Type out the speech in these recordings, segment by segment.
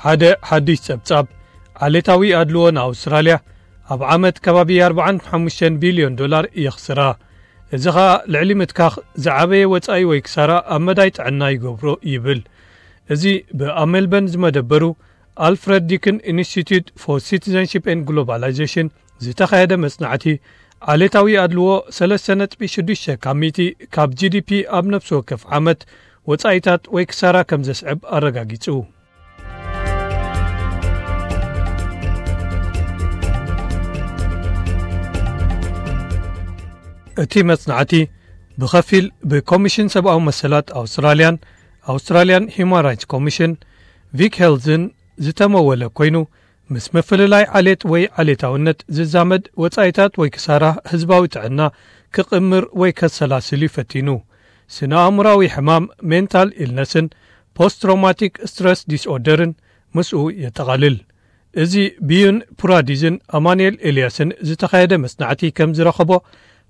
ሓደ ሓድሽ ጸብጻብ፣ ዓሌታዊ ኣድልዎ ንኣውስትራልያ ኣብ ዓመት ከባቢ ኣርባዓን ሓሙሽተን ቢልዮን ዶላር የኽስራ። እዚ ኸኣ ልዕሊ ምትካኽ ዝዓበየ ወጻኢ ወይ ክሳራ ኣብ መዳይ ጥዕና ይገብሮ ይብል። እዚ ብኣብ ሜልበርን ዝመደበሩ ኣልፍረድ ዲክን ኢንስቲትዩት ፎር ሲቲዘንሺፕ ኤንድ ግሎባላይዜሽን ዝተኻየደ መጽናዕቲ፣ ዓሌታዊ ኣድልዎ ሰለስተ ነጥቢ ሽዱሽተ ካብ ሚእቲ ካብ ጂ ዲ ፒ ኣብ ነፍሲ ወከፍ ዓመት ወጻኢታት ወይ ክሳራ ከም ዘስዕብ ኣረጋጊጹ። እቲ መጽናዕቲ ብኸፊል ብኮሚሽን ሰብኣዊ መሰላት ኣውስትራልያን ኣውስትራልያን ሂዩማን ራይትስ ኮሚሽን፣ ቪክ ሄልዝን ዝተመወለ ኮይኑ፣ ምስ ምፍልላይ ዓሌት ወይ ዓሌታውነት ዝዛመድ ወጻኢታት ወይ ክሳራ ህዝባዊ ጥዕና ክቕምር ወይ ከሰላስል እዩ ፈቲኑ። ስነ ኣእምራዊ ሕማም፣ ሜንታል ኢልነስን ፖስት ትሮማቲክ ስትረስ ዲስኦርደርን ምስኡ የጠቓልል። እዚ ብዩን ፑራዲዝን ኣማኑኤል ኤልያስን ዝተኻየደ መጽናዕቲ ከም ዝረኸቦ፣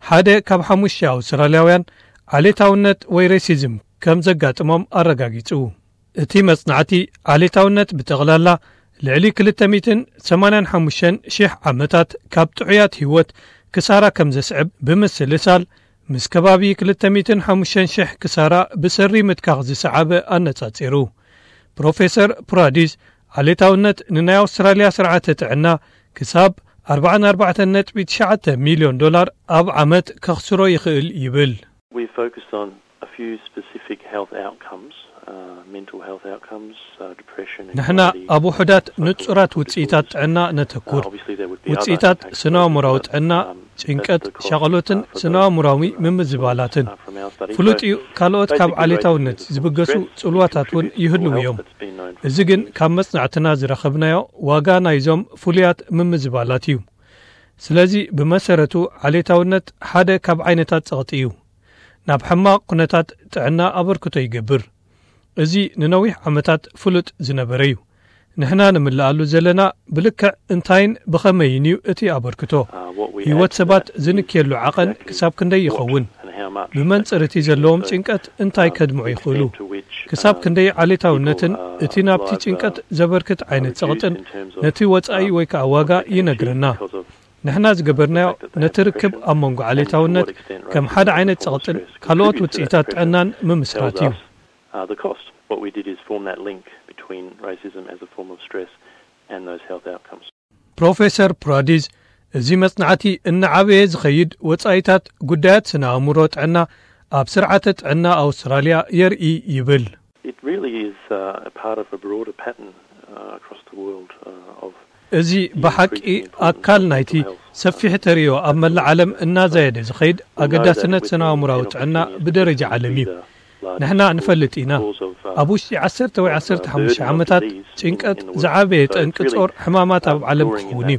ሓደ ካብ ሓሙሽተ ኣውስትራልያውያን ዓሌታውነት ወይ ሬሲዝም ከም ዘጋጥሞም ኣረጋጊጹ። እቲ መጽናዕቲ፣ ዓሌታውነት ብጠቕላላ ልዕሊ ክልተ ሚእትን ሰማንያን ሓሙሽተን ሽሕ ዓመታት ካብ ጥዑያት ህይወት ክሳራ ከም ዘስዕብ ብምስልሳል፣ ምስ ከባቢ ክልተ ሚእትን ሓሙሽተን ሽሕ ክሳራ ብሰሪ ምትካኽ ዝሰዓበ ኣነጻጺሩ። ፕሮፌሰር ፕራዲዝ፣ ዓሌታውነት ንናይ ኣውስትራልያ ስርዓተ ጥዕና ክሳብ ኣርባዓን ኣርባዕተን ነጥቢ ትሽዓተ ሚልዮን ዶላር ኣብ ዓመት ከኽስሮ ይኽእል ይብል። We focused on a few specific health outcomes, uh, mental health outcomes, uh, depression, ንሕና anxiety, ኣብ ውሑዳት ንጹራት ውጽኢታት ጥዕና ነተኩር። ውጽኢታት ስነ ኣእምራዊ ጥዕና፣ ጭንቀት፣ ሻቕሎትን ስነ ኣእምራዊ ምምዝባላትን። ፍሉጥ እዩ፣ ካልኦት ካብ ዓሌታውነት ዝብገሱ ጽልዋታት እውን ይህልው እዮም። እዚ ግን ካብ መጽናዕትና ዝረኸብናዮ ዋጋ ናይዞም ፍሉያት ምምዝባላት እዩ። ስለዚ ብመሰረቱ ዓሌታውነት ሓደ ካብ ዓይነታት ጸቕጢ እዩ። ናብ ሕማቕ ኩነታት ጥዕና ኣበርክቶ ይገብር። እዚ ንነዊሕ ዓመታት ፍሉጥ ዝነበረ እዩ። ንሕና ንምልኣሉ ዘለና ብልክዕ እንታይን ብኸመይን እዩ እቲ ኣበርክቶ። ህይወት ሰባት ዝንክየሉ ዓቐን ክሳብ ክንደይ ይኸውን? ብመንጽር እቲ ዘለዎም ጭንቀት እንታይ ከድምዑ ይኽእሉ? ክሳብ ክንደይ ዓሌታውነትን እቲ ናብቲ ጭንቀት ዘበርክት ዓይነት ጸቕጥን ነቲ ወጻኢ ወይ ከኣ ዋጋ ይነግረና። ንሕና ዝገበርናዮ ነቲ ርክብ ኣብ መንጎ ዓሌታውነት ከም ሓደ ዓይነት ጸቕጥን ካልኦት ውጽኢታት ጥዕናን ምምስራት እዩ። Uh, the cost. What we did is form that link between racism as a form of stress and those health outcomes. ፕሮፌሰር ፕራዲዝ፣ እዚ መጽናዕቲ እናዓበየ ዝኸይድ ወጻኢታት ጉዳያት ስነ ኣእምሮ ጥዕና ኣብ ስርዓተ ጥዕና ኣውስትራልያ የርኢ ይብል። It really is, uh, a part of a broader pattern, uh, across the world, uh, of እዚ ብሓቂ ኣካል ናይቲ ሰፊሕ ተርእዮ ኣብ መላእ ዓለም እናዛየደ ዝኸይድ ኣገዳስነት ስነ ኣእምራዊ ጥዕና ብደረጃ ዓለም እዩ። ንሕና ንፈልጥ ኢና፣ ኣብ ውሽጢ ዓሰርተ ወይ ዓሰርተ ሓሙሽተ ዓመታት ጭንቀት ዝዓበየ ጠንቂ ጾር ሕማማት ኣብ ዓለም ክኸውን እዩ።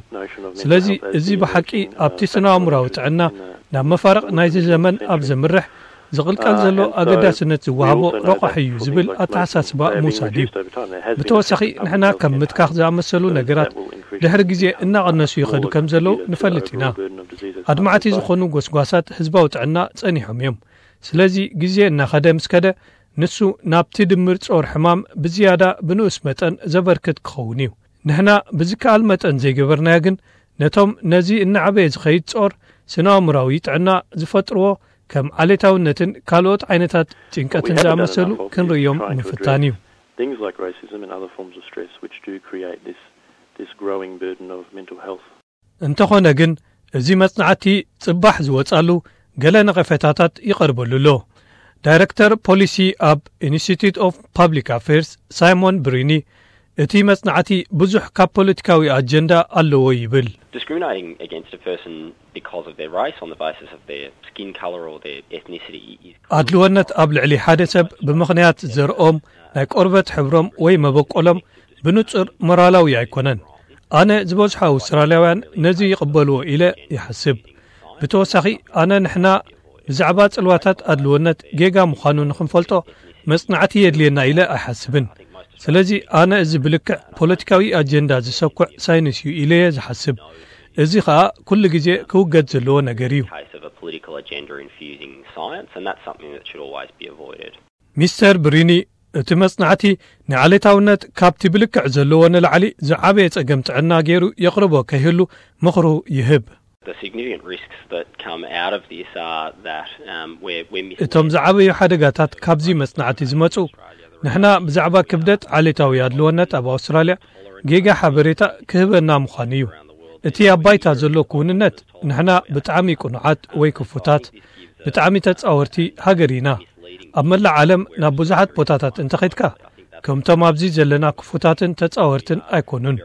ስለዚ እዚ ብሓቂ ኣብቲ ስነ ኣእምራዊ ጥዕና ናብ መፋርቕ ናይዚ ዘመን ኣብ ዘምርሕ ዝቕልቀል ዘሎ ኣገዳስነት ዝወሃቦ ረቋሒ እዩ ዝብል ኣተሓሳስባ ምውሳድ እዩ። ብተወሳኺ ንሕና ከም ምትካኽ ዝኣመሰሉ ነገራት ድሕሪ ግዜ እናቐነሱ ይኸዱ ከም ዘለዉ ንፈልጥ ኢና። ኣድማዕቲ ዝኾኑ ጎስጓሳት ህዝባዊ ጥዕና ጸኒሖም እዮም። ስለዚ ግዜ እናኸደ ምስ ከደ ንሱ ናብቲ ድምር ጾር ሕማም ብዝያዳ ብንኡስ መጠን ዘበርክት ክኸውን እዩ። ንሕና ብዝከኣል መጠን ዘይገበርናዮ ግን ነቶም ነዚ እናዓበየ ዝኸይድ ጾር ስነ ኣእምራዊ ጥዕና ዝፈጥርዎ ከም ዓሌታውነትን ካልኦት ዓይነታት ጭንቀትን ዝኣመሰሉ ክንርእዮም ምፍታን እዩ። Things like racism and other forms of stress which do create this, this growing burden of mental health. እንተኾነ ግን እዚ መጽናዕቲ ጽባሕ ዝወጻሉ ገለ ነቐፌታታት ይቐርበሉ ኣሎ። ዳይረክተር ፖሊሲ ኣብ ኢንስቲትዩት ኦፍ ፓብሊክ ኣፌርስ ሳይሞን ብሪኒ፣ እቲ መጽናዕቲ ብዙሕ ካብ ፖለቲካዊ ኣጀንዳ ኣለዎ ይብል። Discriminating against a person because of their race on the basis of their skin colour or their ethnicity is ኣድልወነት ኣብ ልዕሊ ሓደ ሰብ ብምኽንያት ዘርኦም፣ ናይ ቆርበት ሕብሮም ወይ መበቆሎም ብንጹር ሞራላዊ ኣይኮነን። ኣነ ዝበዝሑ ኣውስትራልያውያን ነዚ ይቕበልዎ ኢለ ይሓስብ። ብተወሳኺ ኣነ ንሕና ብዛዕባ ጽልዋታት ኣድልወነት ጌጋ ምዃኑ ንኽንፈልጦ መጽናዕቲ የድልየና ኢለ ኣይሓስብን። ስለዚ ኣነ እዚ ብልክዕ ፖለቲካዊ ኣጀንዳ ዝሰኩዕ ሳይንስ እዩ ኢለ እየ ዝሓስብ። እዚ ኸኣ ኩሉ ግዜ ክውገድ ዘለዎ ነገር እዩ። Case of a political agenda infusing science, and that's something that should always be avoided. ሚስተር ብሪኒ እቲ መጽናዕቲ ንዓሌታውነት ካብቲ ብልክዕ ዘለዎ ንላዕሊ ዝዓበየ ጸገም ጥዕና ገይሩ የቕርቦ ከይህሉ ምኽሩ ይህብ። The significant risks that come out of this are that um, we're, we're missing. እቶም ዝዓበዩ ሓደጋታት ካብዚ መጽናዕቲ ዝመጹ፣ ንሕና ብዛዕባ ክብደት ዓሌታዊ ኣድልወነት ኣብ ኣውስትራልያ ጌጋ ሓበሬታ ክህበና ምዃኑ እዩ። እቲ ኣብ ባይታ ዘሎ ክውንነት፣ ንሕና ብጣዕሚ ቅኑዓት ወይ ክፉታት፣ ብጣዕሚ ተጻወርቲ ሃገር ኢና። ኣብ መላእ ዓለም ናብ ብዙሓት ቦታታት እንተኸድካ፣ ከምቶም ኣብዚ ዘለና ክፉታትን ተጻወርትን ኣይኮኑን።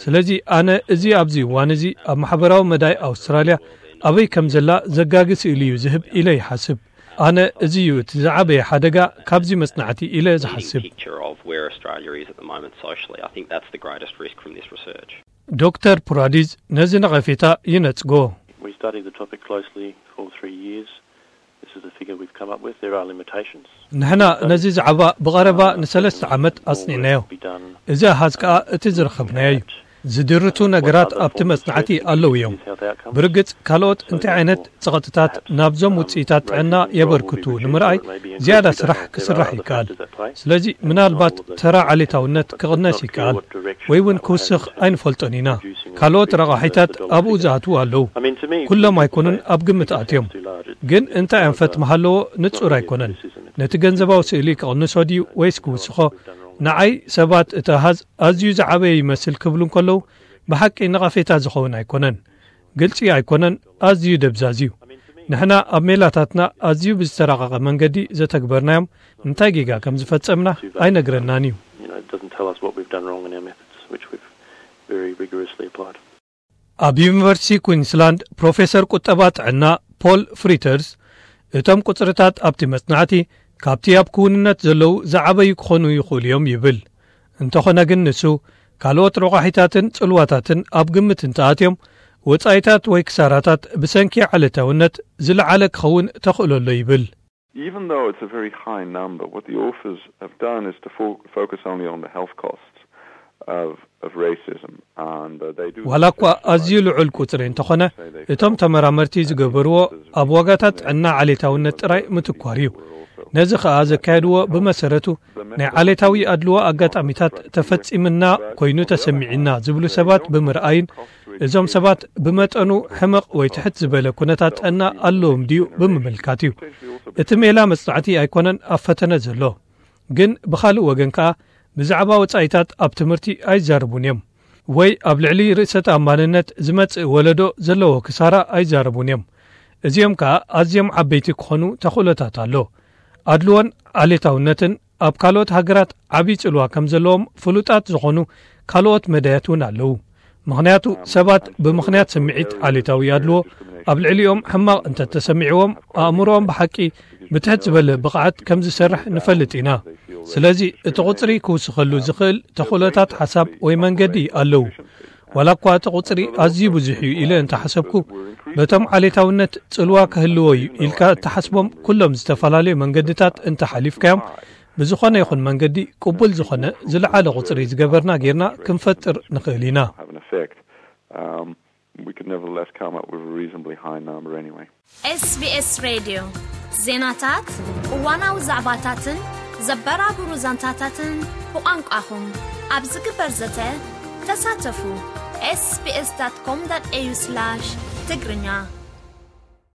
ስለዚ ኣነ እዚ ኣብዚ እዋን እዚ ኣብ ማሕበራዊ መዳይ ኣውስትራልያ ኣበይ ከም ዘላ ዘጋጊ ስእሊ እዩ ዝህብ ኢለ ይሓስብ። ኣነ እዚ እዩ እቲ ዝዓበየ ሓደጋ ካብዚ መጽናዕቲ ኢለ ዝሓስብ። Picture of where Australia is at the moment socially. I think that's the greatest risk from this research. ዶክተር ፑራዲዝ ነዚ ነቐፌታ ይነጽጎ። We studied the topic closely for three years. This is the figure we've come up with. There are limitations. ንሕና ነዚ ዛዕባ ብቐረባ ንሰለስተ ዓመት ኣጽኒዕናዮ። እዚ ኣሃዝ ከኣ እቲ ዝረኸብናዮ እዩ። ዝድርቱ ነገራት ኣብቲ መጽናዕቲ ኣለዉ እዮም። ብርግጽ ካልኦት እንታይ ዓይነት ጸቕጥታት ናብዞም ውጽኢታት ጥዕና የበርክቱ ንምርኣይ ዝያዳ ስራሕ ክስራሕ ይከኣል። ስለዚ ምናልባት ተራ ዓሌታውነት ክቕነስ ይከኣል ወይ እውን ክውስኽ ኣይንፈልጦን ኢና። ካልኦት ረቓሒታት ኣብኡ ዝኣትዉ ኣለዉ። ኩሎም ኣይኮኑን ኣብ ግምት ኣትዮም። ግን እንታይ ኣንፈት ምሃለዎ ንጹር ኣይኮነን። ነቲ ገንዘባዊ ስእሊ ክቕንሶ ድዩ ወይስ ክውስኾ? ንዓይ ሰባት እቲ ኣሃዝ ኣዝዩ ዝዓበየ ይመስል ክብሉ እንከለዉ ብሓቂ ነቐፌታ ዝኸውን ኣይኮነን። ግልጺ ኣይኮነን፣ ኣዝዩ ደብዛዝ እዩ። ንሕና ኣብ ሜላታትና ኣዝዩ ብዝተራቐቐ መንገዲ ዘተግበርናዮም እንታይ ጌጋ ከም ዝፈጸምና ኣይነግረናን እዩ። You know, it doesn't tell us what we've done wrong in our methods, which we've very rigorously applied. ኣብ ዩኒቨርሲቲ ኩዊንስላንድ ፕሮፌሰር ቁጠባ ጥዕና ፖል ፍሪተርስ፣ እቶም ቁጽርታት ኣብቲ መጽናዕቲ ካብቲ ኣብ ክውንነት ዘለዉ ዝዓበዩ ክኾኑ ይኽእሉ እዮም ይብል። እንተኾነ ግን ንሱ፣ ካልኦት ረቋሒታትን ጽልዋታትን ኣብ ግምት እንተኣትዮም፣ ወጻኢታት ወይ ክሳራታት ብሰንኪ ዓሌታውነት ዝለዓለ ክኸውን ተኽእሎ ኣሎ ይብል። Even though it's a very high number, what the authors have done is to fo- focus only on the health costs of, of racism. And uh, they do. ዋላ እኳ ኣዝዩ ልዑል ቁጽሪ እንተኾነ፣ እቶም ተመራመርቲ ዝገበርዎ ኣብ ዋጋታት ጥዕና ዓሌታውነት ጥራይ ምትኳር እዩ። ነዚ ኸኣ ዘካየድዎ ብመሰረቱ ናይ ዓሌታዊ ኣድልዎ ኣጋጣሚታት ተፈጺምና ኮይኑ ተሰሚዕና ዝብሉ ሰባት ብምርኣይን፣ እዞም ሰባት ብመጠኑ ሕመቕ ወይ ትሕት ዝበለ ኩነታት ጥዕና ኣለዎም ድዩ ብምምልካት እዩ። እቲ ሜላ መጽናዕቲ ኣይኮነን ኣብ ፈተነ ዘሎ። ግን ብኻልእ ወገን ከኣ ብዛዕባ ወጻኢታት ኣብ ትምህርቲ ኣይዛረቡን እዮም። ወይ ኣብ ልዕሊ ርእሰ ተኣማንነት ዝመጽእ ወለዶ ዘለዎ ክሳራ ኣይዛረቡን እዮም። እዚኦም ከኣ ኣዝዮም ዓበይቲ ክኾኑ ተኽእሎታት ኣሎ። ኣድልዎን ዓሌታውነትን ኣብ ካልኦት ሃገራት ዓብዪ ጽልዋ ከም ዘለዎም ፍሉጣት ዝኾኑ ካልኦት መዳያት እውን ኣለዉ። ምኽንያቱ ሰባት ብምኽንያት ስምዒት ዓሌታዊ ኣድልዎ ኣብ ልዕሊኦም ሕማቕ እንተተሰሚዕዎም ኣእምሮኦም ብሓቂ ብትሕት ዝበለ ብቕዓት ከም ዝሰርሕ ንፈልጥ ኢና። ስለዚ እቲ ቁጽሪ ክውስኸሉ ዝኽእል ተኽእሎታት ሓሳብ ወይ መንገዲ ኣለዉ። ዋላ እኳ እቲ ቁጽሪ ኣዝዩ ብዙሕ እዩ ኢለ እንተሓሰብኩ፣ በቶም ዓሌታውነት ጽልዋ ክህልዎ እዩ ኢልካ እተሓስቦም ኩሎም ዝተፈላለዩ መንገድታት እንተሓሊፍካዮም፣ ብዝኾነ ይኹን መንገዲ ቅቡል ዝኾነ ዝለዓለ ቁጽሪ ዝገበርና ጌርና ክንፈጥር ንኽእል ኢና። Have an effect. Um, we could nevertheless come up with a reasonably high number anyway. SBS ሬድዮ ዜናታት፣ እዋናዊ ዛዕባታትን ዘበራብሩ ዛንታታትን ብቋንቋኹም ኣብ ዝግበር ዘተ ተሳተፉ። sbs.com.au/ትግርኛ